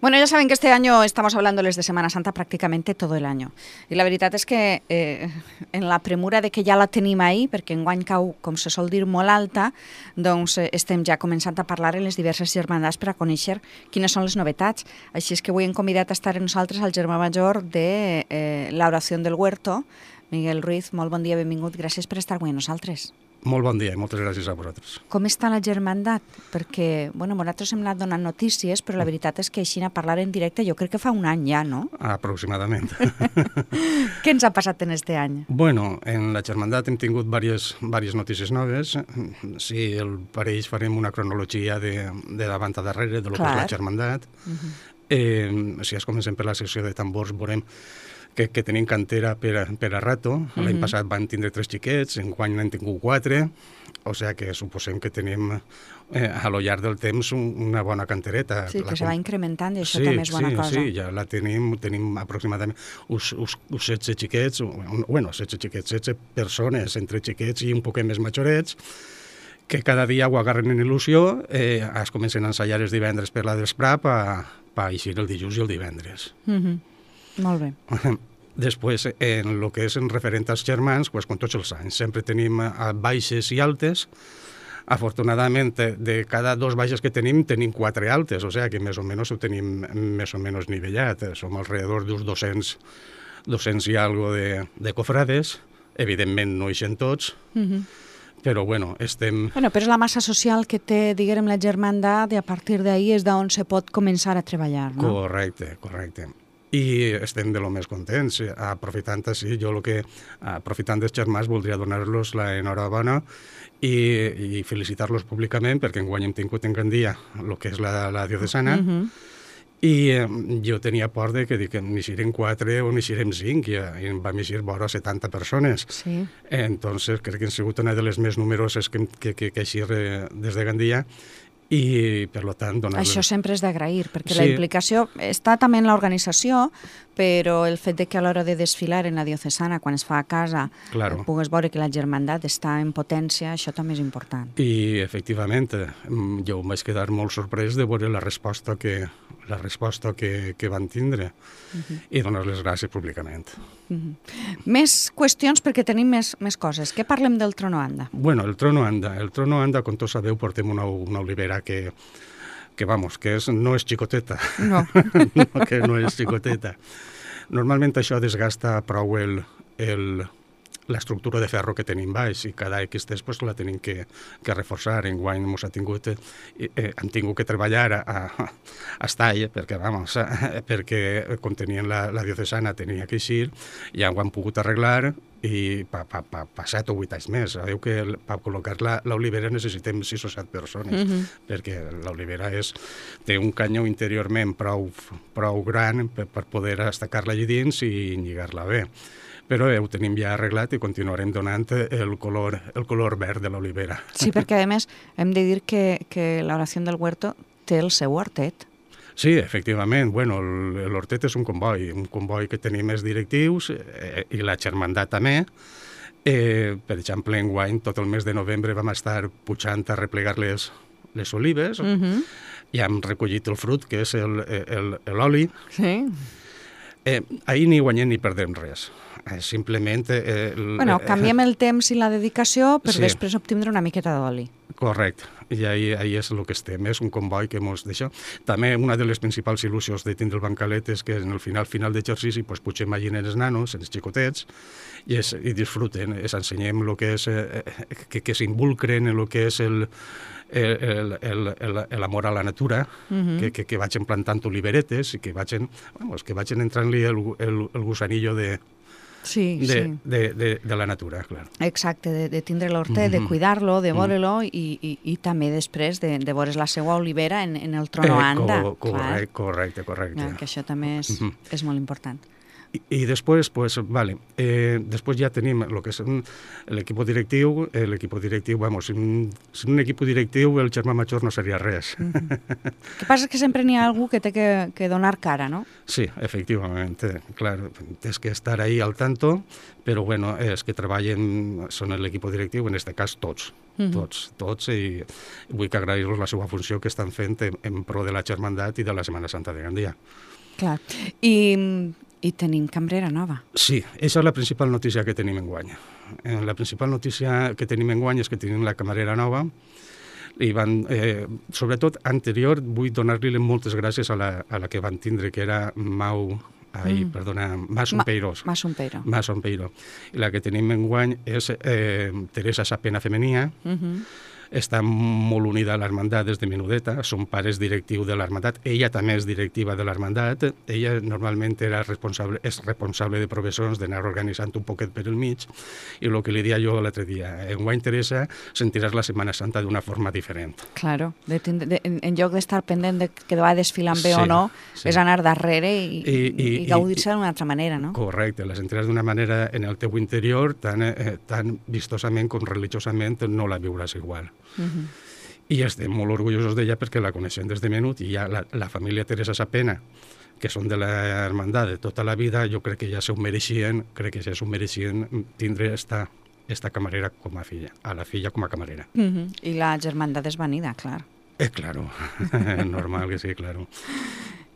Bueno, ya saben que este año estamos hablándoles de Semana Santa prácticamente todo el año. I la veritat és que en la premura de que ja la tenim ahí, perquè enguany cau, com se sol dir, molt alta, doncs estem ja començant a parlar en les diverses germandats per a conèixer quines són les novetats. Així és que avui hem convidat a estar amb nosaltres al germà major de l'Oració del Huerto, Miguel Ruiz. Molt bon dia, benvingut. Gràcies per estar avui amb nosaltres. Molt bon dia i moltes gràcies a vosaltres. Com està la germandat? Perquè, bueno, nosaltres hem anat donant notícies, però la veritat és que així a parlar en directe jo crec que fa un any ja, no? Aproximadament. Què ens ha passat en este any? Bueno, en la germandat hem tingut diverses notícies noves. Si el pareix farem una cronologia de davant a darrere de lo que és la germandat. Si es comencem per la secció de tambors, veurem que tenim cantera per a rato. L'any passat van tindre 3 xiquets, enguany n'han tingut 4, o sigui que suposem que tenim a lo llarg del temps una bona cantereta. Sí, que se va incrementant i això també és bona cosa. Sí, ja la tenim aproximadament uns 16 xiquets, bueno, 16 persones, entre xiquets i un poquet més majorets, que cada dia ho agarren en il·lusió, es comencen a ensaiar els divendres per la d'Esprà per eixir el dijous i el divendres. Molt bé. Després, en el que és en referent als germans, com tots els anys, sempre tenim baixes i altes. Afortunadament, de cada 2 baixes que tenim 4 altes, o sigui que més o menys ho tenim més o menys nivellat. Som alrededor d'uns 200 i algo de cofrades. Evidentment no eixen tots, però bueno, estem... Bueno, però és la massa social que té, diguem, la germandat i a partir d'ahí és d'on se pot començar a treballar, no? Correcte. I estem de lo més contents. Aprofitant així, aprofitant dels germans, voldria donar-los l'enhorabona i felicitar-los públicament, perquè enguany hem tingut en Gandia el que és la diocesana, i jo tenia por de que n'eixirem 4 o n'eixirem 5, i en vam eixir vora 70 persones. Sí. Entonces, crec que han sigut una de les més numeroses que eixir des de Gandia, i per tant donar-los... Això sempre és d'agrair, perquè la implicació està també en l'organització, però el fet de que a l'hora de desfilar en la diocesana, quan es fa a casa, pugues veure que la germandat està en potència, això també és important. I, efectivament, jo em vaig quedar molt sorprès de veure la resposta que van tindre i donar les gràcies públicament. Més qüestions, perquè tenim més coses. Què parlem del Trono Anda? Bueno, el Trono Anda, com tots sabeu, portem una olivera que no és xicoteta. No. Que no és xicoteta. Normalment això desgasta prou l'estructura de ferro que tenim baix, i cada X temps la tenim que reforçar. Enguany hem tingut que treballar a estall, perquè com tenien la diocesana tenia que eixir, ja ho han pogut arreglar, i pa 7 o 8 anys més. Sabeu que per col·locar l'olivera necessitem 6 o 7 persones, perquè l'olivera té un canyó interiorment prou gran per poder estacar-la allà dins i lligar-la bé. Però ho tenim ja arreglat i continuarem donant el color verd de l'olivera. Sí, perquè a més hem de dir que l'Oració del Huerto té el seu hortet. Sí, efectivament. Bueno, l'hortet és un comboi que tenim els directius i la germandat també. Per exemple, enguany, tot el mes de novembre vam estar pujant a replegar les olives i hem recollit el fruit, que és l'oli. Sí. Ahir ni guanyem ni perdem res. Simplement... canviem el temps i la dedicació per després obtindre una miqueta d'oli. Correcte, i ahí és el que estem, és un comboi que mos deixa. També una de les principals il·lusions de tindre el bancalet és que en el final d'exercici pugem allí els nanos, els xicotets, i disfruten, ensenyem el que és, que s'involucren en el que és l'amor a la natura, que vagin plantant oliveretes i que vagin entrant-li el gusanillo de la natura, clar. Exacte, de tindre l'hortet, de cuidar-lo, de veure-lo i també després de veure la seva olivera en el Trono Anda. Correcte. Que això també és molt important. I després, pues, vale, després ja tenim el que és l'equip directiu. L'equip directiu, vamos, sin un equip directiu el germà major no seria res. El que passa és que sempre n'hi ha algú que té que donar cara, no? Sí, efectivament, clar, tens que estar ahí al tanto, però bueno, és que treballen, són l'equip directiu, en aquest cas tots, tots, i vull que agrair-los la seva funció que estan fent en pro de la Germandat i de la Setmana Santa de Gandia. Clar, i tenim cambrera nova. Sí, aquesta és la principal notícia que tenim enguany. La principal notícia que tenim enguany és que tenim la camarera nova, i van, sobretot anterior, vull donar-li moltes gràcies a la que van tindre, que era Mas Ompeiro. I la que tenim enguany és Teresa Sapena Femenia. Està molt unida a l'Hermandat des de menudeta, són pares directius de l'Hermandat, ella també és directiva de l'Hermandat, ella normalment és responsable de professors d'anar organitzant un poquet per el mig, i el que li dia jo l'altre dia, enguany, Teresa, sentiràs la Setmana Santa d'una forma diferent. Claro, en lloc d'estar pendent de que va desfilant bé o no, és anar darrere i gaudir-se d'una altra manera, no? Correcte, la sentiràs d'una manera en el teu interior, tan vistosament com religiosament no la viuràs igual. I estem molt orgullosos d'ella perquè la coneixem des de menut, i ja la família Teresa Sapena, que són de l'Hermandat de tota la vida, jo crec que ja s'ho mereixien, tindre esta camarera com a filla, a la filla com a camarera. I la Germandat és venida, clar. Claro, normal que sí, claro.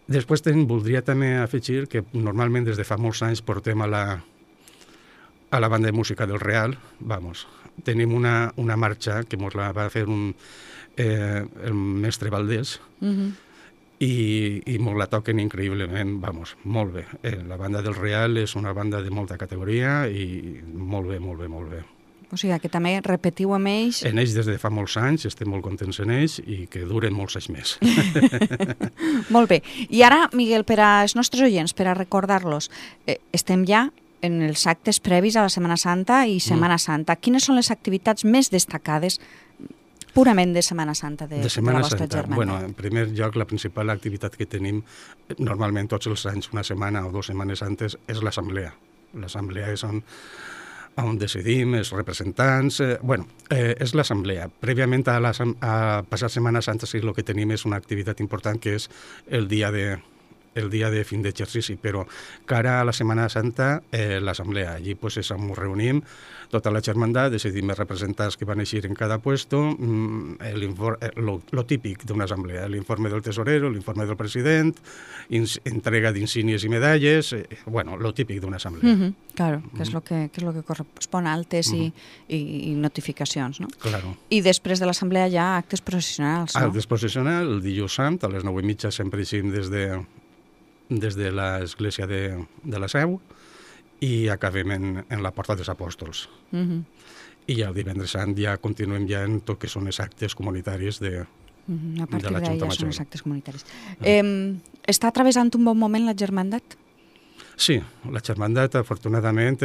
Després voldria també afegir que normalment des de fa molts anys portem a la banda de música del Real, tenim una marxa que ens la va fer el mestre Valdés, i ens la toquen increïblement, molt bé. La banda del Real és una banda de molta categoria i molt bé, molt bé, molt bé. O sigui que també repetiu amb ells... En ells des de fa molts anys, estem molt contents en ells i que duren molts anys més. Molt bé. I ara, Miguel, per als nostres oients, per a recordar-los, estem ja en els actes previs a la Setmana Santa i Setmana Santa. Quines són les activitats més destacades purament de Setmana Santa de la vostra Germandat? Bueno, en primer lloc, la principal activitat que tenim normalment tots els anys, una setmana o 2 setmanes antes, és l'assemblea. L'assemblea és on decidim, els representants... és l'assemblea. Prèviament a passar Setmana Santa sí, el que tenim és una activitat important que és el dia de fin d'exercici, però cara a la Setmana Santa, l'assemblea. Allí ens reunim, tota la Germandat, decidim els representants que van eixir en cada puesto, lo típic d'una assemblea, l'informe del tesorero, l'informe del president, entrega d'insígnies i medalles, lo típic d'una assemblea. Claro, que és lo que correspon a actes i notificacions, no? Claro. I després de l'assemblea hi ha actes processionals, no? Actes processionals, el dilluns sant, a les 9:30 sempre eixim des de l'església de la Seu i acabem en la Porta dels Apòstols. I el divendres sant ja continuem ja en tot que són els actes comunitaris de la Junta Major. A partir d'ahí ja són els actes comunitaris. Està travessant un bon moment la Germandat? Sí, la Germandat, afortunadament,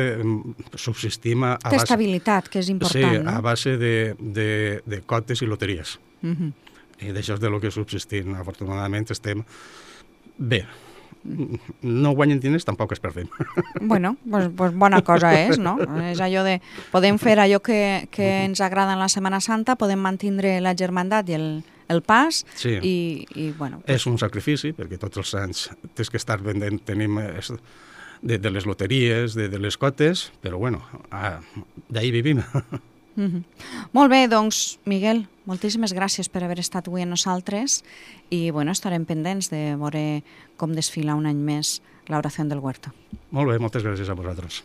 subsistim a base... Té estabilitat, que és important, no? Sí, a base de cotes i loteries. I d'això és de lo que subsistim. Afortunadament estem bé. No guanyen diners, tampoc es perdem. Bueno, pues bona cosa és, no? És allò de... Podem fer allò que ens agrada en la Setmana Santa, podem mantindre la Germandat i el pas, sí. I bueno... És un sacrifici, perquè tots els anys tens que estar vendent, tenim de les loteries, de les cotes, però bueno, d'ahir vivim. Molt bé, doncs, Miguel, moltíssimes gràcies per haver estat avui amb nosaltres i bueno, estarem pendents de veure com desfila un any més l'oració del Huerto. Molt bé, moltes gràcies a vosaltres.